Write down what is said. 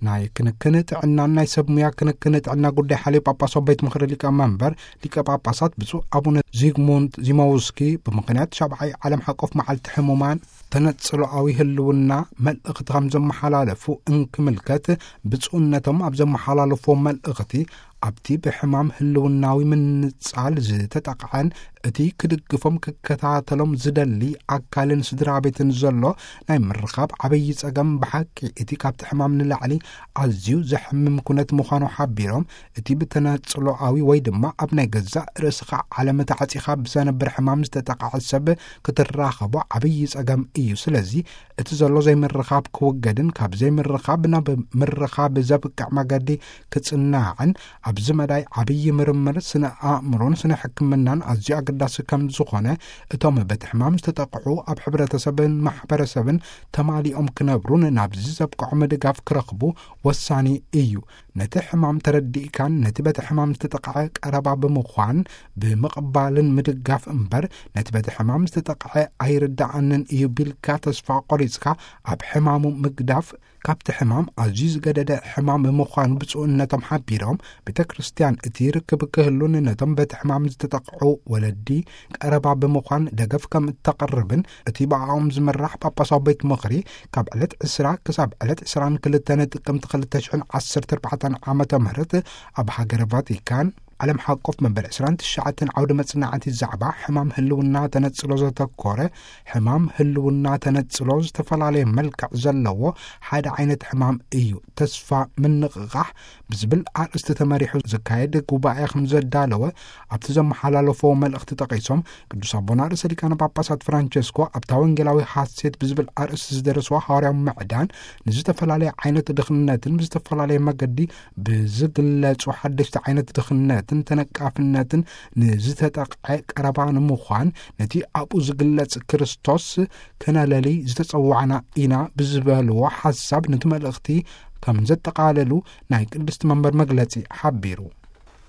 ናይ ክንክን ጥዕናን ናይ ሰብ ሙያ ክንክን ጥዕና ጉዳይ ሓልዮ ጳጳሳዊ ቤት ምኽሪ ሊቀ መንበር ሊቀ ጳጳሳት ብፁዕ ኣቡነ ዚግሙንት ዚማውስኪ፣ ብምኽንያት ሻብዓይ ዓለም ሓቆፍ መዓልቲ ሕሙማን፣ ተነጽሎኣዊ ህልውና መልእኽቲ ከም ዘመሓላለፉ እንክምልከት፣ ብፁዕነቶም ኣብ ዘመሓላለፎ መልእኽቲ፣ ኣብቲ ብሕማም ህልውናዊ ምንጻል ዝተጠቕዐን እቲ ክድግፎም ክከታተሎም ዝደሊ ኣካልን ስድራ ቤትን ዘሎ ናይ ምርኻብ ዓብዪ ጸገም፣ ብሓቂ እቲ ካብቲ ሕማም ንላዕሊ ኣዝዩ ዘሕምም ኩነት ምዃኑ ሓቢሮም፣ እቲ ብተነጽሎኣዊ ወይ ድማ ኣብ ናይ ገዛእ ርእስኻ ዓለም ተዓጺኻ ብዘነብር ሕማም ዝተጠቕዐ ሰብ ክትራኸቦ ዓብዪ ጸገም እዩ። ስለዚ እቲ ዘሎ ዘይምርኻብ ክውገድን ካብ ዘይምርኻብ ናብ ምርኻብ ዘብቅዕ መገዲ ክጽናዕን ኣብዚ መዳይ ዓብዪ ምርምር ስነ ኣእምሮን ስነ ሕክምናን ኣዝዩ ኣገዳሲ ከም ዝኾነ፣ እቶም በቲ ሕማም ዝተጠቕዑ ኣብ ሕብረተሰብን ማሕበረሰብን ተማሊኦም ክነብሩን ናብዚ ዘብቅዖም ድጋፍ ክረኽቡ ወሳኒ እዩ። ነቲ ሕማም ተረዲእካን ነቲ በቲ ሕማም ዝተጠቕዐ ቀረባ ብምዃን ብምቕባልን ምድጋፍ እምበር፣ ነቲ በቲ ሕማም ዝተጠቕዐ ኣይርድኣንን እዩ ቢልካ ተስፋ ቆሪጽካ ኣብ ሕማሙ ምግዳፍ፣ ካብቲ ሕማም ኣዝዩ ዝገደደ ሕማም ምዃኑ ብፁዕነቶም ሓቢሮም፣ ቤተ ክርስቲያን እቲ ርክብ ክህሉን ነቶም በቲ ሕማም ዝተጠቕዑ ወለዲ ቀረባ ብምዃን ደገፍ ከም እተቕርብን፣ እቲ ብኣኦም ዝምራሕ ጳጳሳዊ ቤት ምኽሪ ካብ ዕለት ዕስራ ክሳብ ዕለት ዕስራን ክልተን ጥቅምቲ ክልተ ሽሕን ዓሰርተ ኣርባዕተን ዓመተ ምህረት ኣብ ሃገረ ቫቲካን ዓለም ሓቆፍ መበል ዕስራን ትሽዓተን ዓውደ መጽናዕቲ ዛዕባ ሕማም ህልውና ተነጽሎ ዘተኮረ፣ ሕማም ህልውና ተነጽሎ ዝተፈላለየ መልክዕ ዘለዎ ሓደ ዓይነት ሕማም እዩ፣ ተስፋ ምንቕቓሕ ብዝብል ኣርእስቲ ተመሪሑ ዝካየድ ጉባኤ ከም ዘዳለወ ኣብቲ ዘመሓላለፎ መልእኽቲ ጠቒሶም፣ ቅዱስ ኣቦና ርእሰ ሊቃነ ጳጳሳት ፍራንቸስኮ ኣብታ ወንጌላዊ ሓሴት ብዝብል ኣርእስቲ ዝደረስዋ ሃዋርያዊ ምዕዳን ንዝተፈላለየ ዓይነት ድኽነትን ብዝተፈላለየ መገዲ ብዝግለጹ ሓደሽቲ ዓይነት ድኽነትን ተነቃፍነትን ንዝተጠቕዐ ቀረባ ንምዃን፣ ነቲ ኣብኡ ዝግለጽ ክርስቶስ ከነለሊ ዝተጸዋዕና ኢና ብዝበልዎ ሓሳብ ነቲ መልእኽቲ ከም ዘጠቓለሉ ናይ ቅድስቲ መንበር መግለጺ ሓቢሩ።